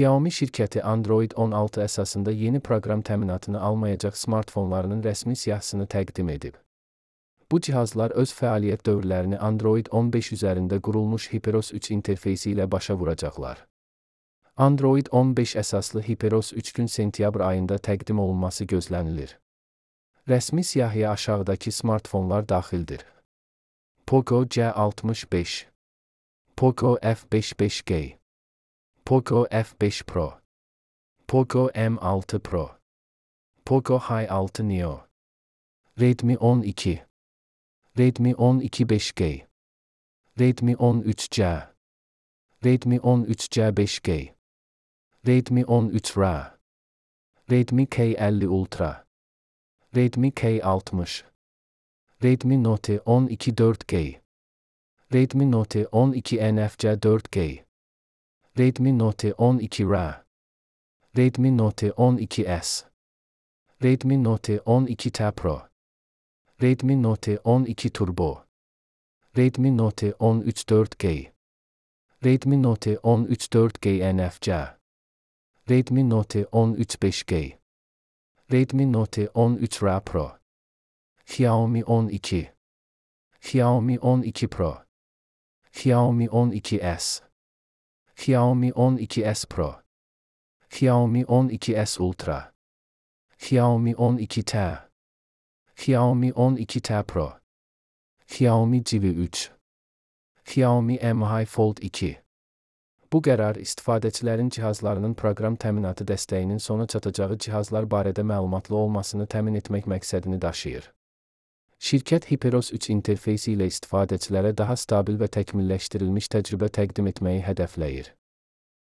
Xiaomi şirkəti Android 16 əsasında yeni proqram təminatını almayacaq smartfonlarının rəsmi siyahısını təqdim edib. Bu cihazlar öz fəaliyyət dövrlərini Android 15 üzərində qurulmuş HyperOS 3 interfeysi ilə başa vuracaqlar. Android 15 əsaslı HyperOS 3 gün sentyabr ayında təqdim olunması gözlənilir. Rəsmi siyahıya aşağıdakı smartfonlar daxildir. Poco C65, Poco F5 5G, Poco F5 Pro, Poco M6 Pro, Poco H6 Neo, Redmi 12, Redmi 12 5G, Redmi 13C, Redmi 13C 5G, Redmi 13R, Redmi K50 Ultra, Redmi K60, Redmi Note 12 4G, Redmi Note 12 NFC 4G, Redmi Note 12R, Redmi Note 12S, Redmi Note 12T Pro, Redmi Note 12 Turbo, Redmi Note 13 4G, Redmi Note 13 4G NFC, Redmi Note 13 5G, Redmi Note 13R Pro, Xiaomi 12, Xiaomi 12 Pro, Xiaomi 12S, Xiaomi 12S Pro, Xiaomi 12S Ultra, Xiaomi 12T, Xiaomi 12T Pro, Xiaomi Civi 3, Xiaomi Mi Fold 2. Bu qərar istifadəçilərin cihazlarının proqram təminatı dəstəyinin sona çatacağı cihazlar barədə məlumatlı olmasını təmin etmək məqsədini daşıyır. Şirkət HyperOS 3 interfeysi ilə istifadəçilərə daha stabil və təkmilləşdirilmiş təcrübə təqdim etməyi hədəfləyir.